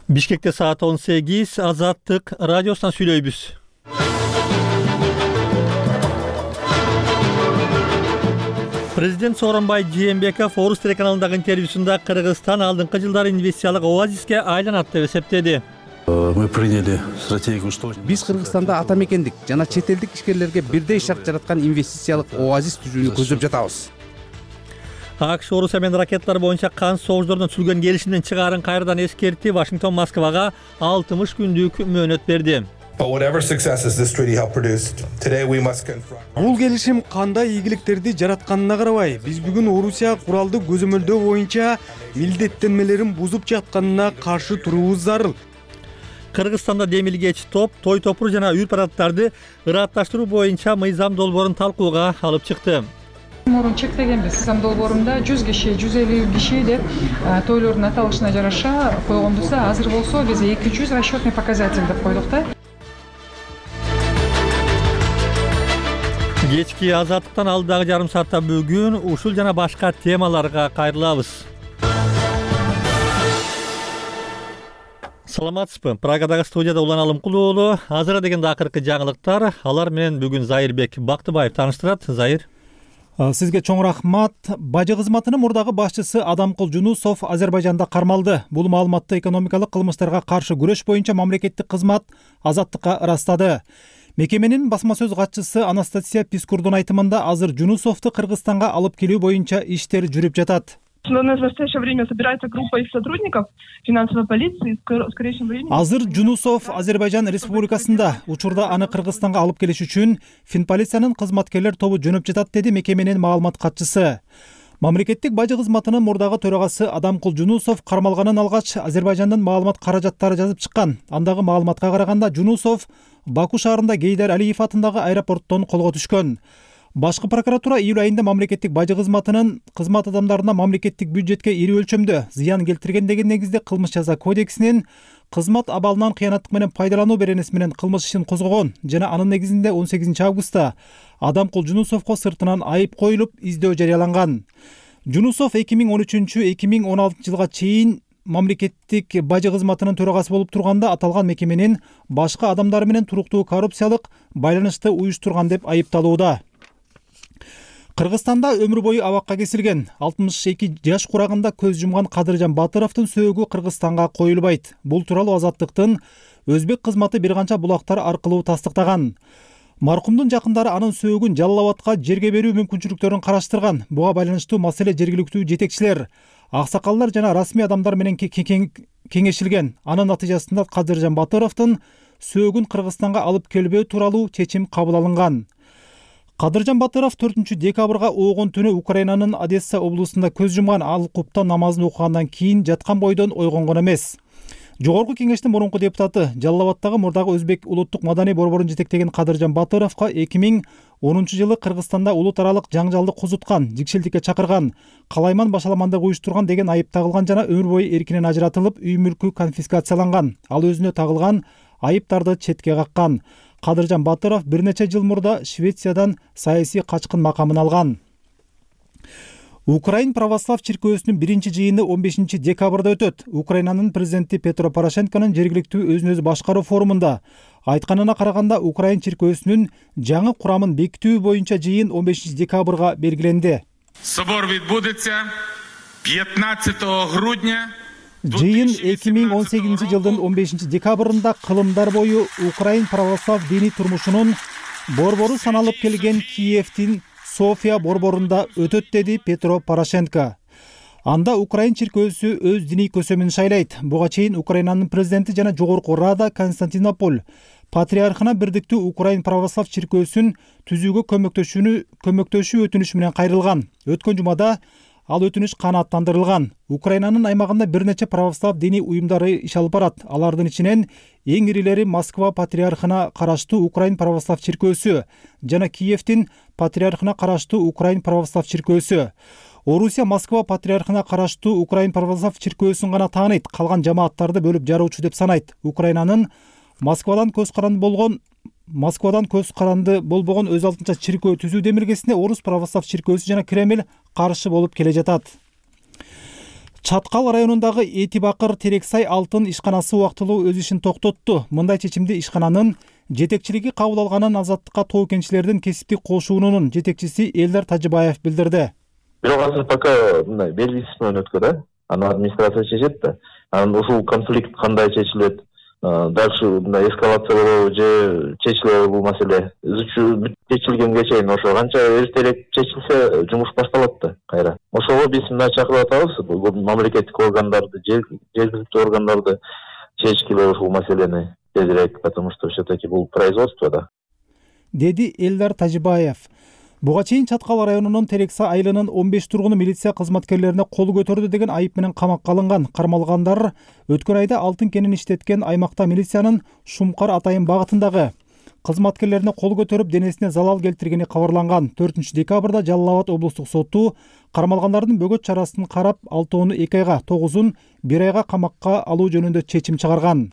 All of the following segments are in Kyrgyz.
Бишкекте саат 18, Азаттык радиосунан сүйлөйбүз. Президент Сооронбай Жээнбеков Орус телеканалындагы интервьюсунда Кыргызстан алдыңкы жылдары инвестициялык оазиске айланат деп эсептеди. Мы приняли стратегию, что Биз Кыргызстанда ата мекендик жана чет элдик ишкерлерге бирдей шарт жараткан инвестициялык оазис түзүүнү көздөп жатабыз. АКШ Орус эмен ракеталар боюнча кан соғуштардан түзүлгөн келишимден чыгаарын кайрадан эскертти. Вашингтон Москвага 60 күндүк мөөнөт берди. Бул келишим кандай ийгиликтерди жаратканына карабай, биз бүгүн Орусия куралды көзөмөлдөө боюнча милдеттенмелерин бузуп жатканына каршы туруубуз зарыл. Кыргызстанда демилгеч топ той топур жана үй парадтарды ыратташтыруу боюнча мыйзам долбоорун талкууга алып чыкты. Мурун чектегенбиз. Мыйзам долбоорунда 100 киши, 150 киши деп тойлордун аталышына жараша койгондусу, азыр болсо биз 200 расчетный показатель деп койдук да. Кечки Азаттыктан алдыдагы жарым саатта бүгүн ушул жана башка темаларга кайрылабыз. Саламатсызбы? Прагадагы студияда Улан Алымкул уулу. Азыра дегенде акыркы жаңылыктар. Алар менен бүгүн Зайырбек Бактыбаев тааныштырат. Зайыр. Сизге чоң рахмат. Бажы кызматынын мурдагы башчысы Адамкул Жунусов Азербайжанда кармалды. Бул маалыматты экономикалык кылмыштарга каршы күрөш боюнча мамлекеттик кызмат Азаттыкка ырастады. Мекеменин басма сөз катчысы Анастасия Пискурдун айтымында азыр Жунусовду Кыргызстанга алып келүү боюнча иштер жүрүп жатат. В настоящее время собирается группа из сотрудников финансовой полиции. В скорейшем времени. Азыр Жунусов Азербайжан Республикасында. Учурда аны Кыргызстанга алып келиш үчүн Финполициянын кызматкерлер тобу жөнөп жатат, деди мекеменин маалымат катчысы. Мамлекеттик бажы кызматынын мурдагы төрагасы Адамкул Жунусов кармалганын алгач Азербайжандын маалымат каражаттары жазып чыккан. Андагы маалыматка караганда Жунусов Баку шаарында Гейдар Алиев атындагы аэропорттон колго түшкөн. Башкы прокуратура июль айында мамлекеттик бажы кызматынын кызмат адамдарына мамлекеттик бюджетке ири өлчөмдө зыян келтирген деген негизде кылмыш жаза кодексинин кызмат абалынан кыянаттык менен пайдалануу беренеси менен кылмыш ишин козгогон жана анын негизинде 18 августта Адамкул Жунусовго сыртынан айып коюлуп издөө жарыяланган. Жунусов 2013-2016 жылга чейин мамлекеттик бажы кызматынын төрагасы болуп турганда аталган мекеменин башка адамдары менен туруктуу коррупциялык байланышты уюштурган деп айыпталууда. Кыргызстанда өмүр бою абакка кесилген 62 жаш курагында көз жумган Кадыржан Батыровдун сөөгү Кыргызстанга коюлбайт. Бул тууралуу Азаттыктын өзбек кызматы бир канча булактар аркылуу тастыктаган. Маркумдун жакындары анын сөөгүн Жалал Абадка жерге берүү мүмкүнчүлүктөрүн караштырган. Буга байланыштуу маселе жергиликтүү жетекчилер, аксакалдар жана расмий адамдар менен кеңешилген. Анын натыйжасында Кадыржан Батыровдун сөөгүн Кыргызстанга алып келбөө тууралуу чечим кабыл алынган. Кадыржан Батыров 4 декабрга оогун түнү Украинанын Одесса облусунда көз жумган. Ал куптан намазын окугандан кийин жаткан бойдон ойгонгон эмес. Жогорку кеңештин мурунку депутаты Жалал Абадтагы мурдагы өзбек улуттук маданий борборун жетектеген Кадыржан Батыровго 2010 жылы Кыргызстанда улут аралык жаңжалды козуткан, жикшелдикке чакырган, калайман башаламандык уюштурган деген айып тагылган жана өмүр бою эркинен ажыратылып, үй мүлкү конфискацияланган. Ал өзүнө тагылган айыптарды четке каккан. Кадыржан Батыров бир нече жыл мурда Швециядан саясий качкын макамын алган. Украин православ чиркөөсүнүн биринчи жыйыны 15 декабрда өтөт. Украинанын президенти Петро Порошенконун жергиликтүү өзүн өзү башкаруу форумунда айтканына караганда Украин чиркөөсүнүн жаңы курамын бекитүү боюнча жыйын 15 декабрга белгиленди. Собор відбудеться 15 грудня. Жыйын 2018 жылдын 15 декабрында кылымдар бою Украин православ диний турмушунун борбору саналып келген Киевдин София борборунда өтөт, деди Петро Порошенко. Анда Украин чиркөөсү өз диний көсөмүн шайлайт. Буга чейин Украинанын президенти жана жогорку рада Константинополь патриархына бирдиктүү Украин православ чиркөөсүн түзүүгө көмөктөшүү өтүнүшү менен кайрылган. Өткөн жумада ал өтүнүш канааттандырылган. Украинанын аймагында бир нече православ диний уюмдары иш алып барат. Алардын ичинен эң ирилери Москва патриархына караштуу Украин православ чиркөөсү жана Киевдин патриархына караштуу Украин православ чиркөөсү. Орусия Москва патриархына караштуу Украин православ чиркөөсүн гана тааныйт, калган жамааттарды бөлүп жаруучу деп санайт. Украинанын Москвадан көз каранды болбогон өз алдынча чиркөө түзүү демилгесине Орус православ чиркөөсү жана Кремль каршы болуп келе жатат. Чаткал районундагы Эти Бакыр Терексай алтын ишканасы убактылуу өз ишин токтотту. Мындай чечимди ишкананын жетекчилиги кабыл алганын Азаттыкка тоо кенчилердин кесиптик кошуунунун жетекчиси Элдар Тажибаев билдирди. Бирок азыр пока мындай белгисиз менен өткөн, аны администрация чечет да. Анан ушул конфликт кандай чечилет, дальше мындай эскалациялоо же чечилеби бул маселе чечилгенге чейин ошо канча эртерээк чечилсе жумуш башталат да кайра. Ошого биз мына чакырып атабыз, мамлекеттик органдарды, жергиликтүү органдарды чечкиле ушул маселени тезирээк, потому что все-таки бул производство да. Деди Элдар Тажибаев. Буга чейин Чаткал районунун Терекса айылынын 15 тургуну милиция кызматкерлерине кол көтөрдү деген айып менен камакка алынган. Кармалгандар өткөн айда алтын кенин иштеткен аймакта милициянын Шумкар Атайын багытындагы кызматкерлерине кол көтөрүп денесине залал келтиргени кабарланган. 4-декабрда Жалал Абад облустук соту кармалгандардын бөгөт чарасын карап, 6-ны 2 айга, 9-ун 1 айга камакка алуу жөнүндө чечим чыгарган.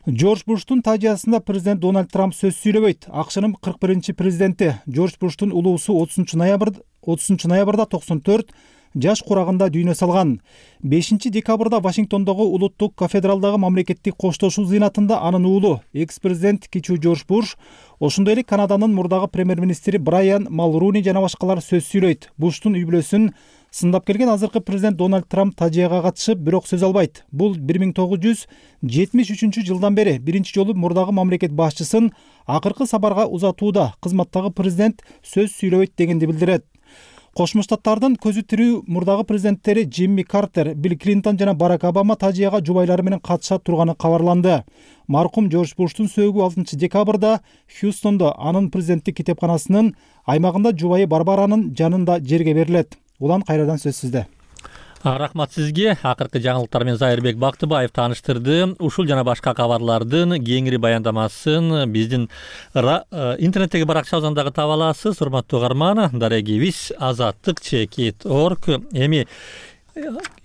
Джордж Буштун тажиясында президент Дональд Трамп сөз сүйлөбөйт. АКШнын 41-президенти Джордж Буштун улуусу 30 ноябрда 94 жаш курагында дүйнө салган. 5-декабрда Вашингтондогу улуттук кафедралдагы мамлекеттик коштошуу зыйнатында анын уулу, экс-президент кичүү Джордж Буш, ошондой эле Канаданын мурдагы премьер-министри Брайан Малруни жана башкалар сөз сүйлөйт. Буштун үй-бүлөсүн сындап келген азыркы президент Дональд Трамп тажияга катышып, бирок сөз албайт. Бул 1973-жылдан бери биринчи жолу мурдагы мамлекет башчысын акыркы сапарга узатууда кызматтагы президент сөз сүйлөбөйт дегенди билдирет. Кошмо Штаттардын көзү тирүү мурдагы президенттери Джимми Картер, Билл Клинтон жана Барак Обама тажияга жубайлары менен катышат турганы кабарланды. Маркум Джордж Буштун сөөгү 6-декабрда Хьюстондо анын президенттик китепканасынын аймагында жубайы Барбаранын жанында жерге берилет. Улан кайрадан сөз сизде. Рахмат сизге. Акыркы жаңылыктар менен Зайырбек Бактыбаев тааныштырды. Ушул жана башка кабарлардын кеңири баяндамасын биздин интернеттеги баракчабыздан дагы таба аласыз. Урматтуу угарман, дарегибиз azattik.org. Эми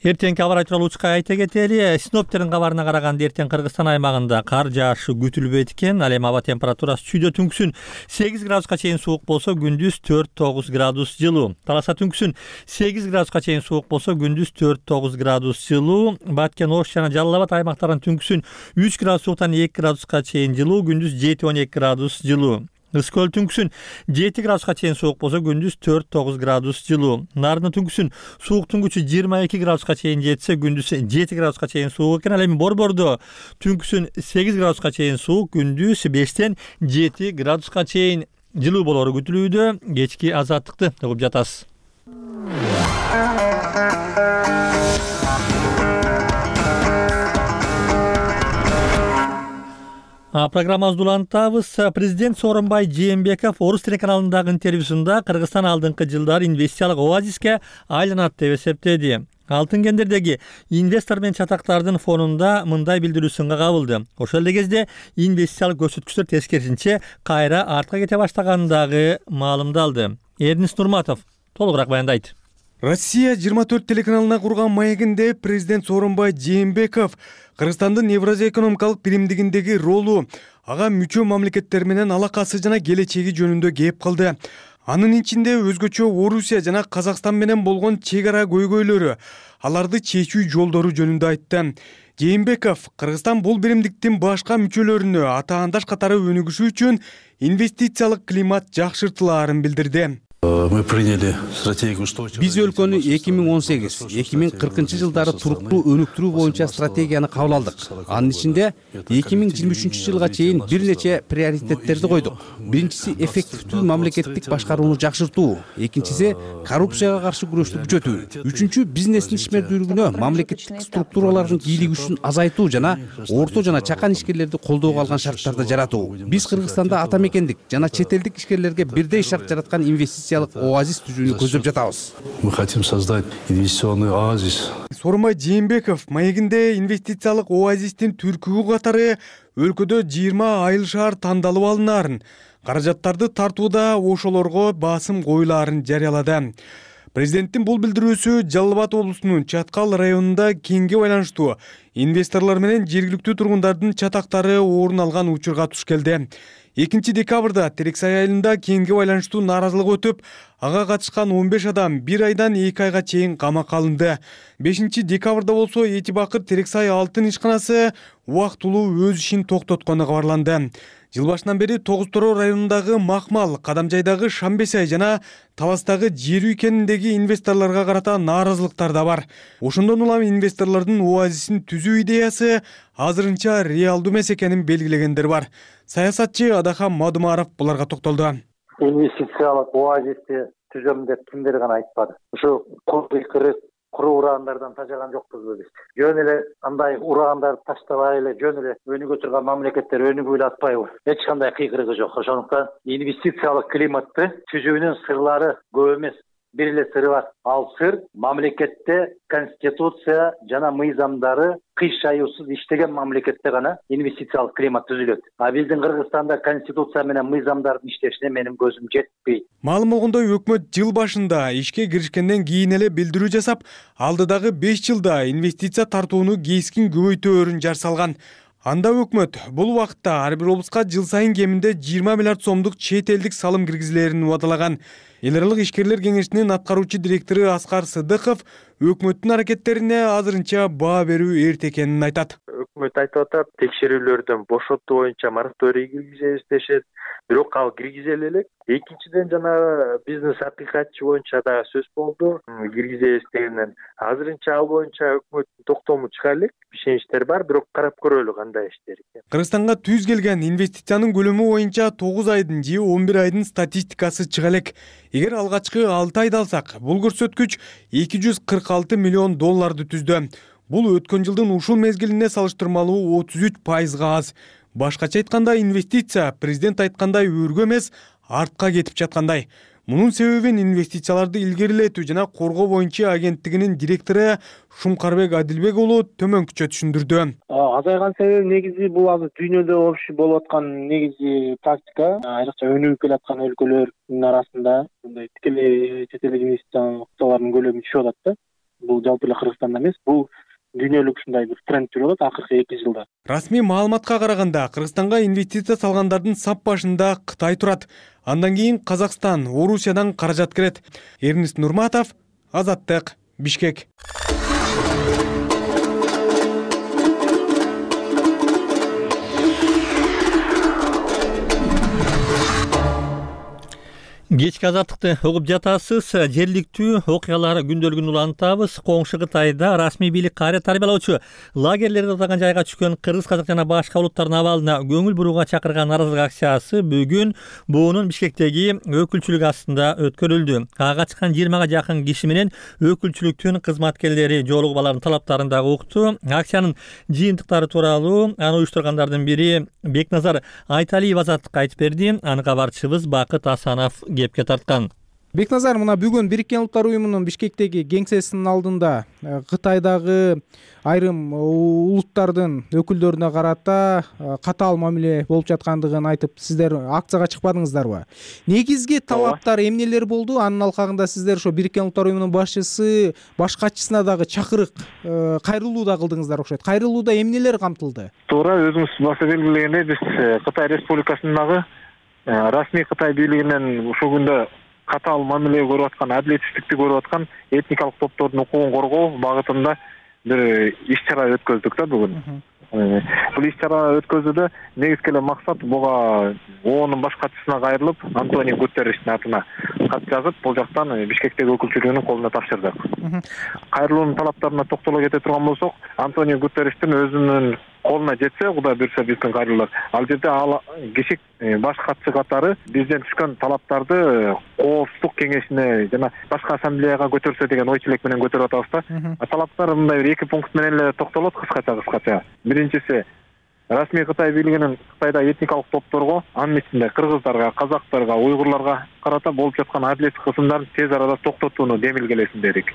эртеңки аба ырайы тууралуу учка айта кетели. Синоптиктердин кабарына караганда эртең Кыргызстан аймагында кар жаашы күтүлбөйт экен. Ал эми аба температурасы түндө түнкүсүн 8 градуска чейин суук болсо, күндүз 4-9 градус жылуу. Таласа түнкүсүн 8 градуска чейин суук болсо, күндүз 4-9 градус жылуу. Баткен, Ош жана Жалал Абад аймактарынын түнкүсүн 3 градус сууктан 2 градуска чейин жылуу, күндүз 7-12 градус жылуу. Ысыкөл түнкүсүн 7 градуска чейин суук болсо, күндүз 4-9 градус жылуу. Нарын түнкүсүн сууктун күчү 22 градуска чейин жетсе, күндүз 7 градуска чейин суук экен. Ал эми Борбордо түнкүсүн 8 градуска чейин суук, күндүз 5-7 градуска чейин жылуу болору күтүлүүдө. Кечки азаттыкты угуп жатасыз. Программабызды улантабыз. Президент Сооронбай Жээнбеков Орус телеканалындагы интервьюсунда Кыргызстан алдыңкы жылдары инвестициялык оазиске айланат деп эсептеди. Алтын кендердеги инвестор менен чатактардын фонунда мындай билдирүү сынга кабылды. Ошол эле кезде инвестициялык көрсөткүчтөр тескерисинче кайра артка кете баштаганын дагы маалымдалды. Эрнис Нурматов толугураак баяндайт. Россия 24 телеканалына курган маегинде президент Сооронбай Жээнбеков Кыргызстандын Евразия экономикалык биримдигиндеги ролу, ага мүчө мамлекеттер менен алакасы жана келечеги жөнүндө кеп калды. Анын ичинде өзгөчө Орусия жана Казакстан менен болгон чек ара көйгөйлөрү, аларды чечүү жолдору жөнүндө айтты. Жээнбеков Кыргызстан бул биримдиктин башка мүчөлөрүнө атаандаш катары өнүгүшү үчүн инвестициялык климат жакшыртылаарын билдирди. Биз өлкөнү 2018-2040 жылдары туруктуу өнүктүрүү боюнча стратегияны кабыл алдык. Анын ичинде 2023 жылга чейин бир нече приоритеттерди койдук. Биринчиси эффективдүү мамлекеттик башкарууну жакшыртуу, экинчиси коррупцияга каршы күрөштү күчөтүү, үчүнчү бизнестин ишмердүүлүгүнө мамлекеттик структуралардын кийлиги үчүн азайтуу жана орто жана чакан ишкерлерди колдоого алган шарттарды жаратуу. Биз Кыргызстанда ата мекендик жана чет элдик ишкерлерге бирдей шарт жараткан инвестициялык оазис түзүүнү көздөп жатабыз. Мы хотим создать инвестиционный оазис. Сооронбай Жээнбеков маегинде инвестициялык оазистин түркүгү катары өлкөдө 20 айыл шаар тандалып алынаарын, каражаттарды тартууда ошолорго басым коюлаарын жарыялады. Президенттин бул билдирүүсү Жалал Абад облусунун Чаткал районунда кеңге байланыштуу инвесторлор менен жергиликтүү тургундардын чатактары орун алган учурга туш келди. 2-декабрда Терексай айылында кеңге байланыштуу нааразылык өтүп, ага катышкан 15 адам 1 айдан 2 айга чейин камакка алынды. 5-декабрда болсо Эти Бакыр Терексай алтын ишканасы убактылуу өз ишин токтоткону кабарланды. Жыл башынан бери Тогуз Тороо районундагы Макмал, Кадамжайдагы Шамбесай жана Таластагы Жер үй кениндеги инвесторлорго карата нааразылыктар да бар. Ошондон улам инвесторлордун оазисин түзүү идеясы азырынча реалдуу эмес экенин белгилегендер бар. Саясатчы Адахан Мадумаров буларга токтолду. Инвестициялык оазисти түзөм деп кимдер гана айтпады. Ушу куру урагандардан тажаган жокпузбу биз. Жөн эле андай урагандарды таштабай эле жөн эле өнүгө турган мамлекеттер өнүгүп эле атпайбы? Эч кандай кыйкырыгы жок. Ошондуктан инвестициялык климатты түзүүнүн сырлары көп эмес. Бир эле сыры бар. Ал сыр мамлекетте конституция жана мыйзамдары кыш аюусуз иштеген мамлекетте гана инвестициялык климат түзүлөт. А биздин Кыргызстанда конституция менен мыйзамдардын иштешине менин көзүм жетпейт. Маалым болгондой, өкмөт жыл башында ишке киришкенден кийин эле билдирүү жасап, алдыдагы 5 жылда инвестиция тартууну кескин көбөйтөөрүн жар салган. Анда өкмөт бул убакытта ар бир облуска жыл сайын кеминде 20 миллиард сомдук чет элдик салым киргизилерин убадалаган. Эл аралык ишкерлер кеңешинин аткаруучу директору Аскар Сыдыков өкмөттүн аракеттерине азырынча баа берүү эрте экенин айтат. Өкмөт айтып атат, текшерүүлөрдөн бошотуу боюнча мораторий киргизебиз дешет. Бирок ал киргизели элек. Экинчиден жана бизнес акыйкатчы боюнча да сөз болду. Киргизебиз дегенден азырынча ал боюнча өкмөттүн токтому чыга элек. Ишеничтер бар, бирок карап көрөлү кандай иштер экен. Кыргызстанга түз келген инвестициянын көлөмү боюнча 9 айдын же 11 айдын статистикасы чыга элек. Эгер алгачкы 6 айда алсак, бул көрсөткүч 246 миллион долларды түздү. Бул өткөн жылдын ушул мезгилине салыштырмалуу 33%га аз. Башкача айтканда, инвестиция президент айткандай өргө эмес, артка кетип жаткандай. Мунун себебин инвестицияларды илгерилетүү жана коргоо боюнча агенттигинин директору Шумкарбек Адилбек уулу төмөнкүчө түшүндүрдү. Азайган себеби негизи бул азыр дүйнөдө болуп аткан негизи практика. Айрыкча өнүгүп келаткан өлкөлөрдүн арасында мындай тикелей чет элдик инвестициялардын көлөмү түшүп атат да. Бул жалпы эле Кыргызстанда эмес, бул дүйнөлүк ушундай бир тренд жүрүп атат акыркы 2 жылда. Расмий маалыматка караганда, Кыргызстанга инвестиция салгандардын сап башында Кытай турат. Андан кийин Казакстан, Орусиядан каражат кирет. Эрнест Нурматов, Азаттык, Бишкек. Кечки азаттыкты угуп жатасыз. Жергиликтүү окуялар күндөлүгүн улантабыз. Коңшу Кытайда расмий бийлик кайра тарбиялоочу лагерлерди атаган жайга түшкөн кыргыз, казак жана башка улуттардын абалына көңүл бурууга чакырган нааразылык акциясы бүгүн буунун Бишкектеги өкүлчүлүгү астында өткөрүлдү. Ага чыккан 20га жакын киши менен өкүлчүлүктүн кызматкерлери жоолугуп алардын талаптарын дагы укту. Акциянын жыйынтыктары тууралуу аны уюштургандардын бири Бекназар Айталиев Азаттыкка айтып берди. Аны кабарчыбыз Бакыт Асанов кепке тарткан. Бекназар, мына бүгүн Бириккен Улуттар уюмунун Бишкектеги кеңсесинин алдында Кытайдагы айрым улуттардын өкүлдөрүнө карата катаал мамиле болуп жаткандыгын айтып, сиздер акцияга чыкпадыңыздарбы? Негизги талаптар эмнелер болду? Анын алкагында сиздер ошо Бириккен Улуттар уюмунун башчысы, баш катчысына дагы чакырык, кайрылуу да кылдыңыздар окшойт. Кайрылууда эмнелер камтылды? Туура, өзүңүз баса белгилегендей, биз Кытай Республикасындагы расмий Кытай бийлигинен ушул күндө катаал мамиле көрүп аткан, адилетсиздикти көрүп аткан этникалык топтордун укугун коргоо багытында бир иш-чара өткөздүк да бүгүн. Бул иш-чара өткөзүүдө негизги эле максат буга ООНдун баш катчысына кайрылып, Антонио Гутерриштин атына кат жазып, бул жактан Бишкектеги өкүлчүлүгүнүн колуна тапшырдык. Кайрылуунун талаптарына токтоло кете турган болсок, Антонио Гутерриштин өзүнүн колуна жетсе, Кудай буйрса биздин кайрылуулар, ал жерде ал киши баш катчы катары бизден түшкөн талаптарды Коопсуздук кеңешине жана башка ассамблеяга көтөрсө деген ой тилек менен көтөрүп атабыз да. Талаптар мындай бир 2 пункт менен эле токтолот кыскача. Биринчиси, расмий Кытай бийлигинин Кытайда этникалык топторго, анын ичинде кыргыздарга, казактарга, уйгурларга карата болуп жаткан адилетсиз кысымдарын тез арада токтотууну демилгелесин дедик.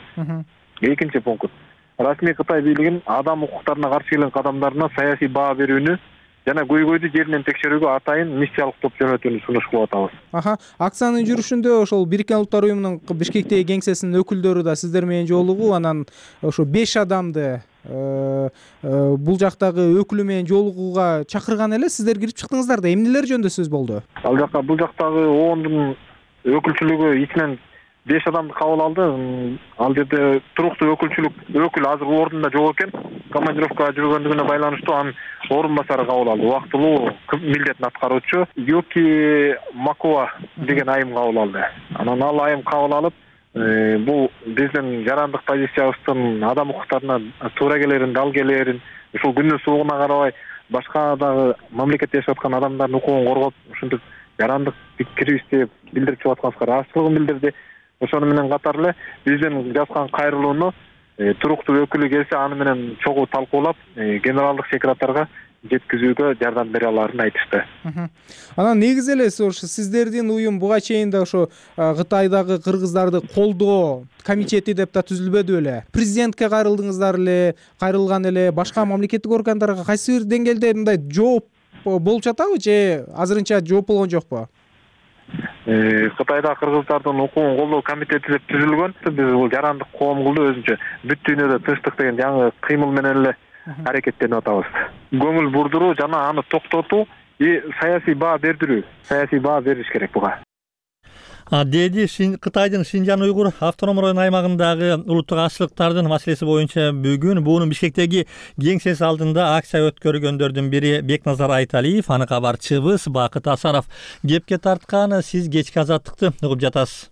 Экинчи пункт, расмий Кытай бийлигин адам укуктарына каршы келген кадамдарына саясий баа берүүнү жана көйгөйдү жеринен текшерүүгө атайын миссиялык топ жөнөтүүнү сунуш кылып атабыз. Акциянын жүрүшүндө ошол Бириккен Улуттар уюмунун Бишкектеги кеңсесинин өкүлдөрү да сиздер менен жолугуп, анан ошо 5 адамды бул жактагы өкүлү менен жолугууга чакырган эле. Сиздер кирип чыктыңыздар да, эмнелер жөнүндө сөз болду? Бул жактагы оондун өкүлчүлүгү ичинен 5 адамды кабыл алды. Ал жерде туруктуу өкүл азыр ордунда жок экен. Командировкага жүргөндүгүнө байланыштуу анын орун басары кабыл алды. Убактылуу милдетин аткаруучу Юки Макова деген айым кабыл алды. Анан ал айым кабыл алып, бул биздин жарандык позициябыздын адам укуктарына туура келерин, дал келерин, ушул күндүн суугуна карабай башка дагы мамлекетте жашап аткан адамдардын укугун коргоп, ушинтип жарандык пикирибизди билдирип чыгып атканыбызга ыраазычылыгын билдирди. Ошону менен катар эле биздин жазган кайрылууну туруктуу өкүлү келсе аны менен чогуу талкуулап, генералдык секретарга жеткизүүгө жардам бере аларын айтышты. Анан негизи эле ошо сиздердин уюм буга чейин да ошо Кытайдагы кыргыздарды колдоо комитети деп да түзүлбөдү беле? Президентке кайрылган эле башка мамлекеттик органдарга кайсы бир деңгээлде мындай жооп болуп жатабы же азырынча жооп болгон жокпу? Кытайда кыргыздардын укугун колдоо комитети деп түзүлгөн. Биз бул жарандык коом кылды өзүнчө бүт дүйнөдө тынчтык деген жаңы кыймыл менен эле аракеттенип атабыз. Көңүл бурдуруу жана аны токтотуу саясий баа бериш керек буга. Деди Кытайдын Шинжан уйгур автоном район аймагындагы улуттук азчылыктардын маселеси боюнча бүгүн буунун Бишкектеги кеңсеси алдында акция өткөргөндөрдүн бири Бекназар Айталиев, аны кабарчыбыз Бакыт Асанов кепке тарткан. Сиз кечки азаттыкты угуп жатасыз.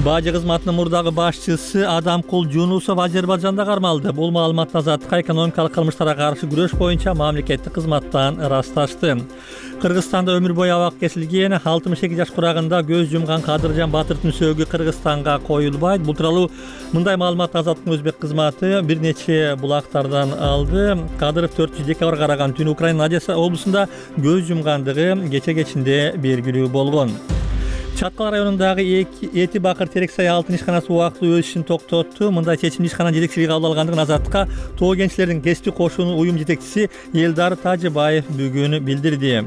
Бажы кызматынын мурдагы башчысы Адамкул Жунусов Азербайжанда кармалды. Бул маалымат Азаттыкка экономикалык кылмыштарга каршы күрөш боюнча мамлекеттик кызматтан ырасташты. Кыргызстанда өмүр бою абак кесилген 62 жаш курагында көз жумган Кадыржан Батырдын сөөгү Кыргызстанга коюлбайт. Бул тууралуу мындай маалымат Азаттыктын өзбек кызматы бир нече булактардан алды. Кадыров 4 декабрга караган түнү Украинанын Одесса облусунда көз жумгандыгы кече-кечинде белгилүү болгон. Чаткал районундагы Эти Бакыр терек сай алтын ишканасы убактылуу өз ишин токтотту. Мындай чечимди ишкананын жетекчилиги кабыл алгандыгын Азаттыкка Тоо кенчилердин кесиптик кошууну уюм жетекчиси Элдар Тажыбаев бүгүн билдирди.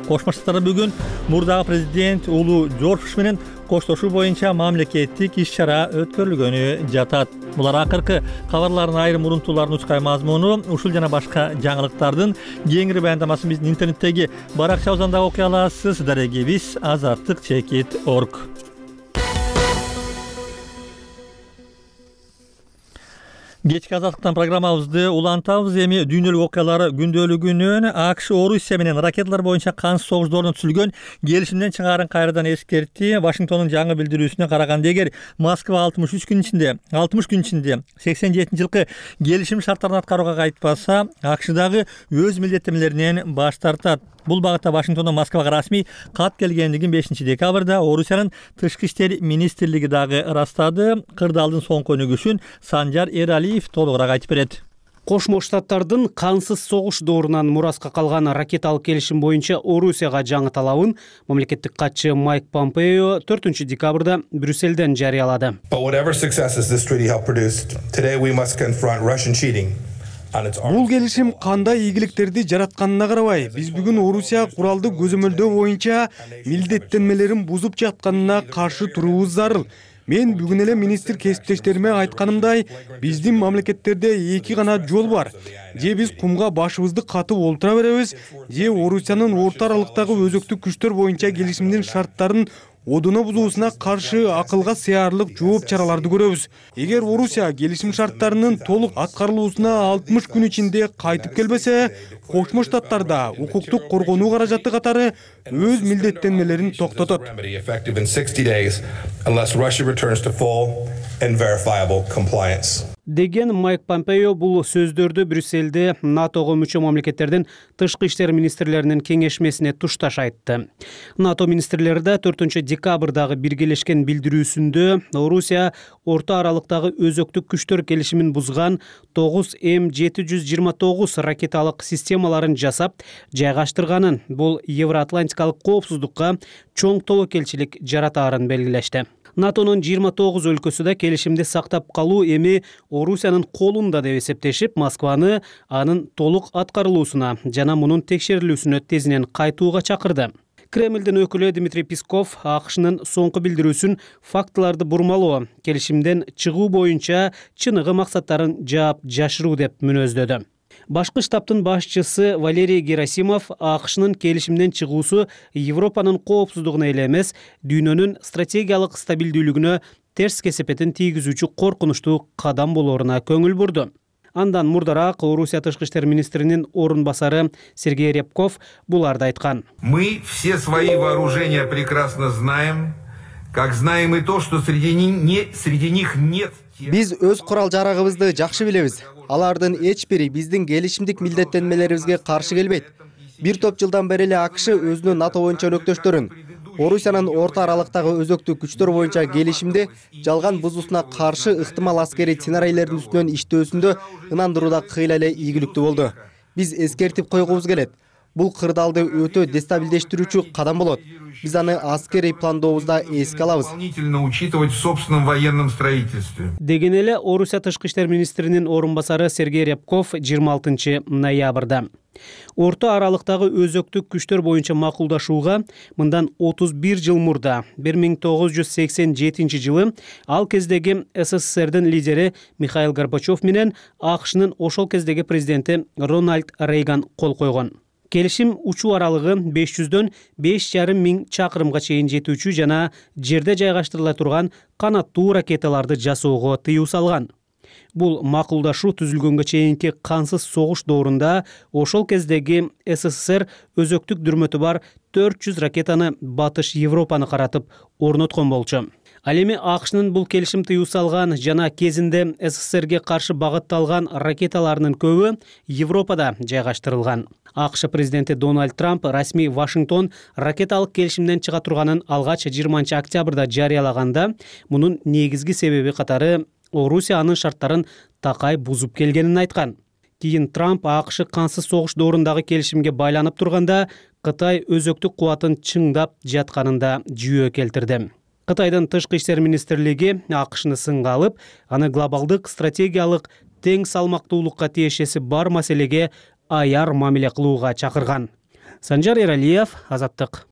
Кошмо Штаттарда бүгүн мурдагы президент Улуу Жорж менен коштошуу боюнча мамлекеттик иш-чара өткөрүлгөнү жатат. Булар акыркы кабарлардын айрым урунтууларынын учкай мазмуну. Ушул жана башка жаңылыктардын кеңири баяндамасын биздин интернеттеги баракчабыздан да окуй аласыз. Дарегибиз azattik.org. Кечки азаттыктан программабызды улантабыз. Эми дүйнөлүк окуялар күндөлүгүнөн АКШ Орусия менен ракеталар боюнча кансыз согуштардын түзүлгөн келишимден чыгаарын кайрадан эскертти. Вашингтондун жаңы билдирүүсүнө караганда, эгер Москва 60 күн ичинде 87 жылкы келишим шарттарын аткарууга кайтпаса, АКШдагы өз милдеттенмелеринен баш тартат. Бул багытта Вашингтондон Москвага расмий кат келгендигин 5 декабрда Орусиянын тышкы иштер министрлиги дагы ырастады. Кырдаалдын соңку өнүгүшүн Санжар Эралиев толугураак айтып берет. Кошмо Штаттардын кансыз согуш доорунан мураска калган ракеталык келишим боюнча Орусияга жаңы талабын мамлекеттик катчы Майк Помпео 4 декабрда Брюсселден жарыялады. Бул келишим кандай ийгиликтерди жаратканына карабай, биз бүгүн Орусия куралды көзөмөлдөө боюнча милдеттенмелерин бузуп жатканына каршы туруубуз зарыл. Мен бүгүн эле министр кесиптештериме айтканымдай, биздин мамлекеттерде эки гана жол бар. Же биз кумга башыбызды катып олтура беребиз, же Орусиянын орто аралыктагы өзөктүк күчтөр боюнча келишимдин шарттарын одуна бузуусуна каршы акылга сыярлык жооп чараларды көрөбүз. Эгер Орусия келишим шарттарынын толук аткарылуусуна 60 күн ичинде кайтып келбесе, Кошмо Штаттарда укуктук коргонуу каражаты катары өз милдеттенмелерин токтотот. деген Майк Помпео бул сөздөрдү Брюссельде НАТОго мүчө мамлекеттердин тышкы иштер министрлеринин кеңешмесине тушташ айтты. НАТО министрлери да 4 декабрдагы биргелешкен билдирүүсүндө Орусия орто аралыктагы өзөктүк күчтөр келишимин бузган 9 М729 ракеталык системаларын жасап жайгаштырганын, бул Евроатлантикалык коопсуздукка чоң тобокелчилик жаратаарын белгилешти. НАТОнун 29 өлкөсү да келишимди сактап калуу эми Орусиянын колунда деп эсептешип, Москваны анын толук аткарылуусуна жана мунун текшерилүүсүнө тезинен кайтууга чакырды. Кремлдин өкүлү Дмитрий Песков АКШнын соңку билдирүүсүн фактыларды бурмалоо, келишимден чыгуу боюнча чыныгы максаттарын жаап жашыруу деп мүнөздөдү. Башкы штабтын башчысы Валерий Герасимов АКШнын келишимден чыгуусу Европанын коопсуздугуна эле эмес, дүйнөнүн стратегиялык стабилдүүлүгүнө терс кесепетин тийгизүүчү коркунучтуу кадам болооруна көңүл бурду. Андан мурдараак Орусия тышкы иштер министринин орун басары Сергей Рябков буларды айткан. Мы все свои вооружения прекрасно знаем, как знаем и то, что среди них нет. Биз өз курал-жарагыбызды жакшы билебиз. Алардын эч бири биздин келишимдик милдеттенмелерибизге каршы келбейт. Бир топ жылдан бери эле АКШ өзүнүн НАТО боюнча өнөктөштөрүн Орусиянын орто аралыктагы өзөктүк күчтөр боюнча келишимди жалган бузуусуна каршы ыктымал аскерий сценарийлердин үстүнөн иштөөсүндө ынандырууда кыйла эле ийгиликтүү болду. Биз эскертип койгубуз келет. Бул кырдаалды өтө дестабилдештирүүчү кадам болот. Биз аны аскерий пландообузда эске алабыз. Деген эле Орусия тышкы иштер министринин орун басары Сергей Рябков 26 ноябрда. Орто аралыктагы өзөктүк күчтөр боюнча макулдашууга мындан 31 жыл мурда 1987 жылы ал кездеги СССРдин лидери Михаил Горбачев менен АКШнын ошол кездеги президенти Рональд Рейган кол койгон. Келишим учуу аралыгы 500дөн 5,5 миң чакырымга чейин жетүүчү жана жерде жайгаштырыла турган канаттуу ракеталарды жасоого тыюу салган. Бул макулдашуу түзүлгөнгө чейинки кансыз согуш доорунда ошол кездеги СССР өзөктүк дүрмөтү бар 400 ракетаны батыш Европаны каратып орноткон болчу. Ал эми АКШнын бул келишим тыюу салган жана кезинде СССРге каршы багытталган ракеталарынын көбү Европада жайгаштырылган. АКШ президенти Дональд Трамп расмий Вашингтон ракеталык келишимден чыга турганын алгач 20 октябрда жарыялаганда, мунун негизги себеби катары Орусия анын шарттарын такай бузуп келгенин айткан. Кийин Трамп АКШ кансыз согуш доорундагы келишимге байланып турганда Кытай өзөктүк кубатын чыңдап жатканында жүйө келтирди. Кытайдын тышкы иштер министрлиги АКШны сынга алып, аны глобалдык стратегиялык тең салмактуулукка тиешеси бар маселеге аяр мамиле кылууга чакырган. Санжар Эралиев, Азаттык.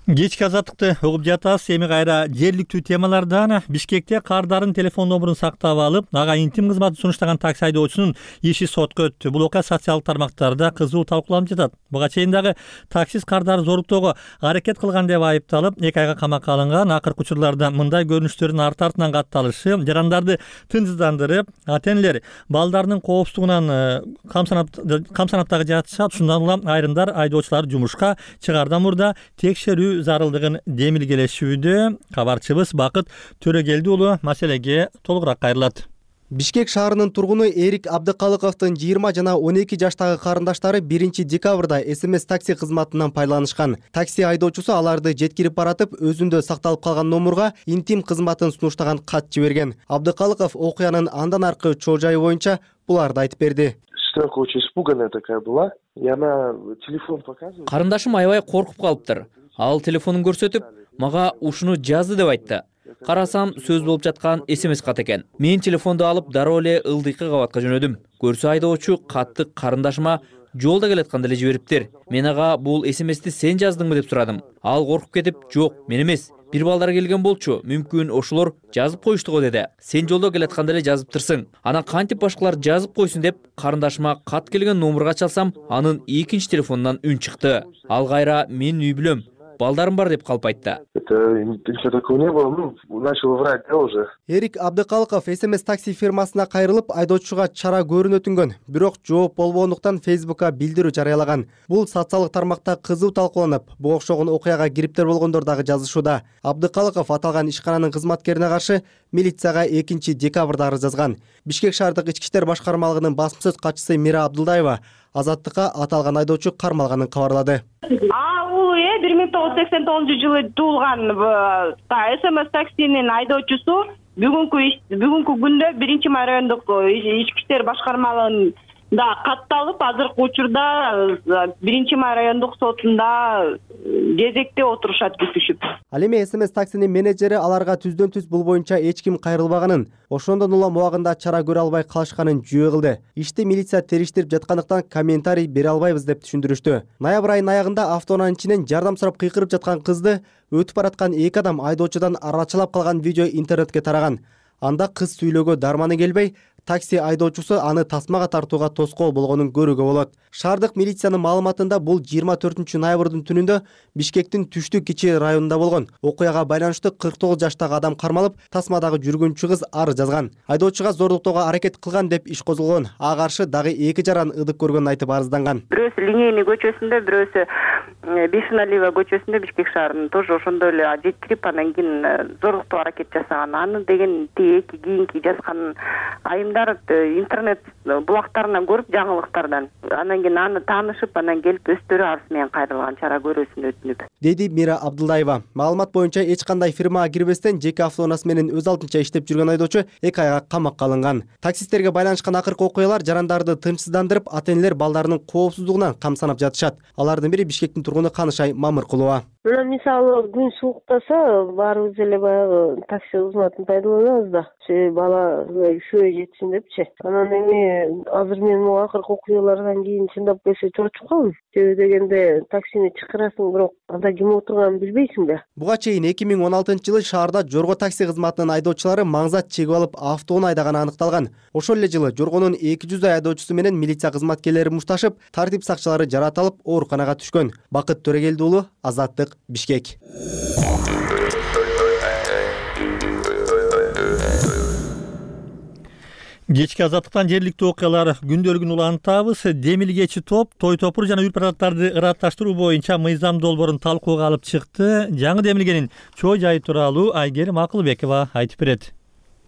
Кечки азаттыкты угуп жатасыз. Эми кайра жергиликтүү темалардан. Бишкекте кардарын телефон номурун сактап алып, ага интим кызматын сунуштаган такси айдоочунун иши сотко өттү. Бул окуя социалдык тармактарда кызуу талкууланып жатат. Буга чейин дагы таксист кардарды зоруктоого аракет кылган деп айыпталып, 2 айга камакка алынган. Акыркы учурларда мындай көрүнүштөрдүн арты-артынан катталышы жарандарды тынчсыздандырып, ата-энелер балдарынын коопсуздугунан камсанаттагы жатышат. Ушундан улам айрымдар айдоочуларды жумушка чыгаардан мурда текшерүү зарылдыгын демилгелешүүдө. Кабарчыбыз Бакыт Төрөгелди уулу маселеге толугураак кайрылат. Бишкек шаарынын тургуну Эрик Абдыкалыковдун 20 жана 12 жаштагы карындаштары 1 декабрда СМС такси кызматынан пайдаланышкан. Такси айдоочусу аларды жеткирип баратып, өзүндө сакталып калган номурга интим кызматын сунуштаган кат жиберген. Абдыкалыков окуянын андан аркы чоо жайы боюнча буларды айтып берди. Сестренка очень испуганная такая была, и она телефон показывает. Карындашым аябай коркуп калыптыр. Ал телефонун көрсөтүп, мага ушуну жазды деп айтты. Карасам, сөз болуп жаткан СМС кат экен. Мен телефонду алып дароо эле ылдыйкы кабатка жөнөдүм. Көрсө айдоочу катты карындашыма жолдо келатканда эле жибериптир. Мен ага бул СМСти сен жаздыңбы деп сурадым. Ал коркуп кетип, жок, мен эмес. Бир балдар келген болчу, мүмкүн ошолор жазып коюшту го деди. Сен жолдо келатканда эле жазыптырсың. Анан кантип башкалар жазып койсун деп карындашыма кат келген номурга чалсам, анын экинчи телефонунан үн чыкты. Ал кайра мен үй бүлөм. балдарым бар деп калп айтты. Это ничего такого не было, начал врать, да, уже. Эрик Абдыкалыков СМС такси фирмасына кайрылып, айдоочуга чара көрүүнү өтүнгөн, бирок жооп болбогондуктан Facebook'ка билдирүү жарыялаган. Бул социалдык тармакта кызуу талкууланып, буга окшогон окуяга кириптер болгондор дагы жазышууда. Абдыкалыков аталган ишкананын кызматкерине каршы милицияга 2-декабрда арыз жазган. Бишкек шаардык ички иштер башкармалыгынын басма сөз катчысы Мира Абдулдаева Азаттыкка аталган айдоочу кармалганын кабарлады. 1989-жылы туулган СМС таксинин айдоочусу бүгүнкү күндө 1-май райондук ички иштер башкармалыгында катталып, азыркы учурда 1-май райондук сотунда кезекте отурушат күтүшүп. Ал эми СМС таксинин менеджери аларга түздөн-түз бул боюнча эч ким кайрылбаганын, ошондон улам убагында чара көрө албай калышканын жөө кылды. Ишти милиция териштирип жаткандыктан комментарий бере албайбыз деп түшүндүрүштү. Ноябрь айынын аягында автоунаанын ичинен жардам сурап кыйкырып жаткан кызды өтүп бараткан 2 адам айдоочудан арачылап калган видео интернетке тараган. Анда кыз сүйлөөгө дарманы келбей, такси айдоочусу аны тасмага тартууга тоскоол болгонун көрүүгө болот. Шаардык милициянын маалыматында бул 24-ноябрдын түнүндө Бишкектин түштүк кичи районунда болгон. Окуяга байланыштуу 49 жаштагы адам кармалып, тасмадагы жүргүнчү кыз арыз жазган. Айдоочуга зордуктоого аракет кылган деп иш козголгон. Ага каршы дагы 2 жаран ыдык көргөнүн айтып арызданган. Бирөөсү Линейный көчөсүндө, бирөөсү Бешеналиева көчөсүндө Бишкек шаарынын тоже ошондой эле жеткирип, анан кийин зордуктоо аракет жасаган. Аны деген тиеки кийинки жазган айымдар интернет булактарынан көрүп, жаңылыктардан. Анан кийин аны таанышып, анан келип өздөрү арыз менен кайрылган, чара көрүүсүн өтүнүп. Деди Мира Абдулдаева. Маалымат боюнча эч кандай фирмага кирбестен жеке автоунаасы менен өз алдынча иштеп жүргөн айдоочу 2 айга камакка алынган. Таксисттерге байланышкан акыркы окуялар жарандарды тынчсыздандырып, ата-энелер балдарынын коопсуздугуна камсанап жатышат. Алардын бири Бишкектин тургуну Канышай Мамыркулова. Мисалы күн сууктаса, баарыбыз эле баягы такси кызматын пайдаланабыз да. Бала üşөй жетсин депчи. Анан эми азыр мен могу акыркы окуялардан кийин чындап келсе чочуп калдым. Себеби дегенде таксини чакырасың, бирок анда ким отурганын билбейсиңби? Буга чейин 2016-жылы шаарда Жорго такси кызматынын айдоочулары маңзат чегип алып автоунаа айдаганы аныкталган. Ошол эле жылы Жоргонун 200 айдоочусу менен милиция кызматкерлери мушташып, тартип сакчылары жаратылып, ооруканага түшкөн. Бакыт Төрегелди уулу, Азаттык, Бишкек. Кечки Азаттыктан жергиликтүү окуялар күндөлүгүн улантабыз. Демилгечи топ той топур жана үрпараттарды ыратташтыруу боюнча мыйзам долбоорун талкууга алып чыкты. Жаңы демилгенин чоо жайы тууралуу Айгерим Акылбекова айтып берет.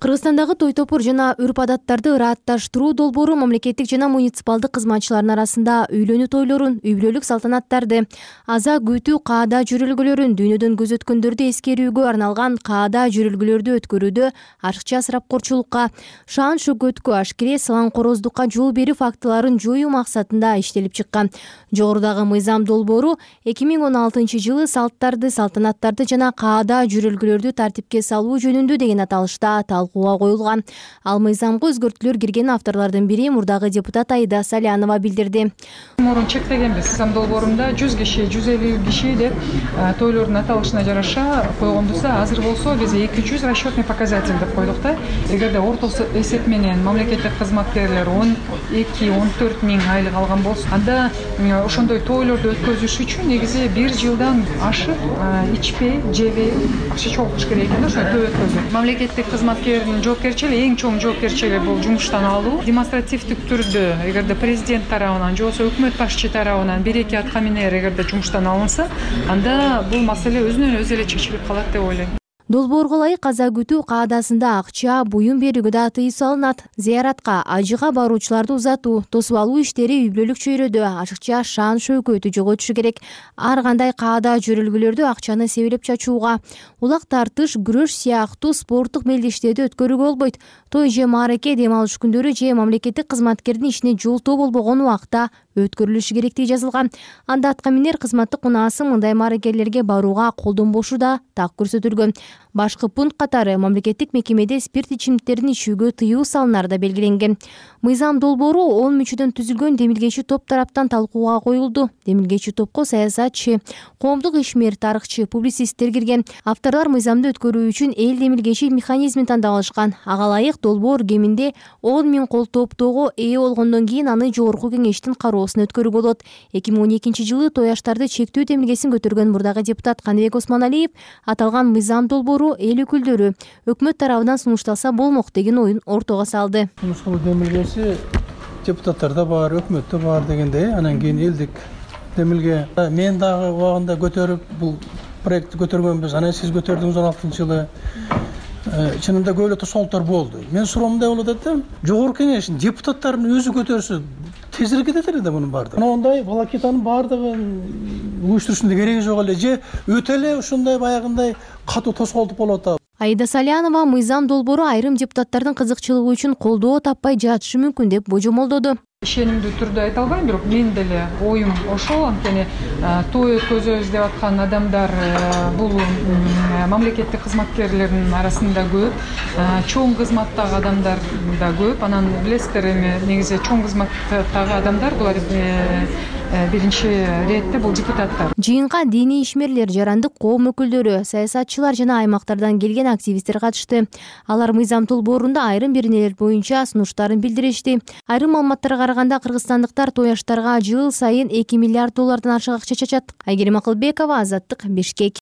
Кыргызстандагы той топур жана үрп адаттарды ыратташтыруу долбоору мамлекеттик жана муниципалдык кызматчылардын арасында үйлөнүү тойлорун, үй бүлөлүк салтанаттарды, аза күтүү каада жүрүлгөлөрүн, дүйнөдөн көз өткөндөрдү эскерүүгө арналган каада жүрүлгөлөрдү өткөрүүдө ашыкча ысырапкорчулукка, шаан шөкөткө, ашкере салаңкороздукка жол берүү фактыларын жоюу максатында иштелип чыккан. Жогорудагы мыйзам долбоору 2016-жылы салттарды, салтанаттарды жана каада жүрүлгөлөрдү тартипке салуу жөнүндө деген аталышта талкууга коюлган. Ал мыйзамга өзгөртүүлөр кирген авторлордун бири мурдагы депутат Аида Салянова билдирди. Мурун чектегенбиз. Мыйзам долбоорунда 100 киши, 150 киши деп тойлордун аталышына жараша койгондусу, азыр болсо биз 200 расчетный показатель деп койдук да. Эгерде ортосу эсеп менен мамлекеттик кызматкерлер 12-14 миң айлык алган болсо, анда ошондой тойлорду өткөзүш үчүн негизи 1 жылдан ашык ичпей, жебей акча чогултуш керек экен, ошо той өткөзүп. Мамлекеттик кызматкердин жоопкерчилиги, эң чоң жоопкерчилиги бул жумуштан алуу. Демонстративдик түрдө эгерде президент тарабынан же болбосо өкмөт башчы тарабынан 1-2 атка минер эгерде жумуштан алынса, анда бул маселе өзүнөн өзү эле чечилип калат деп ойлойм. Долбоорго ылайык аза күтүү каадасында акча, буюм берүүгө да тыюу салынат. Зыяратка, ажыга баруучуларды узатуу, тосуп алуу иштери үй бүлөлүк чөйрөдө ашыкча шаан шөкөтү жоготушу керек. Ар кандай каада жүрүлгөлөрдө акчаны себелеп чачууга, улак тартыш, күрөш сыяктуу спорттук мелдештерди өткөрүүгө болбойт. Той же маареке, дем алыш күндөрү же мамлекеттик кызматкердин ишине жолтоо болбогон убакта өткөрүлүшү керектиги жазылган. Анда атка минер кызматтык унаасы мындай маарекелерге барууга колдонбошу да так көрсөтүлгөн. Башкы пункт катары мамлекеттик мекемеде спирт ичимдиктерин ичүүгө тыюу салынары да белгиленген. Мыйзам долбоору 10 мүчөдөн түзүлгөн демилгечи топ тараптан талкууга коюлду. Демилгечи топко саясатчы, коомдук ишмер, тарыхчы, публицисттер кирген. Авторлор мыйзамды өткөрүү үчүн эл демилгечи механизмин тандап алышкан. Ага ылайык долбоор кеминде 10 000 кол топтоого ээ болгондон кийин аны жогорку кеңештин кароосуна өткөрүү болот. 2012-жылы тояштарды чектөө демилгесин көтөргөн мурдагы депутат Каныбек Осмоналиев аталган мыйзам долбоору эл өкүлдөрү өкмөт тарабынан сунушталса болмок деген оюн ортого салды. Сунушталуу демилгеси депутаттарда бар, өкмөттө бар дегендей, анан кийин элдик демилге мен дагы убагында көтөрүп бул проектти көтөргөнбүз. Анан сиз көтөрдүңүз 16-жылы. Чынында көп эле тосолуктар болду. Мен суроомундай болот экен, жогорку кеңештин депутаттарынын өзү көтөрсө тезирээк кетет эле да мунун баардыгы. Ондай волокитанын баардыгын уюштурушунун кереги жок эле, же өтө эле ушундай баягындай катуу тоскоолдук болуп атабы. Аида Салянова мыйзам долбоору айрым депутаттардын кызыкчылыгы үчүн колдоо таппай жатышы мүмкүн деп божомолдоду. Ишенимдүү түрдө айта албайм, бирок мен деле оюм ошол. Анткени той өткөзөбүз деп аткан адамдар бул мамлекеттик кызматкерлердин арасында көп, чоң кызматтагы адамдар да көп. Анан билесиздер, эми негизи чоң кызматтагы адамдар булар биринчи иретте бул депутаттар. Жыйынга диний ишмерлер, жарандык коом өкүлдөрү, саясатчылар жана аймактардан келген активисттер катышты. Алар мыйзам долбоорунда айрым беренелер боюнча сунуштарын билдиришти. Айрым маалыматтарга караганда кыргызстандыктар тояштарга жыл сайын $2 миллиард ашык акча чачат. Айгерим Акылбекова, Азаттык, Бишкек.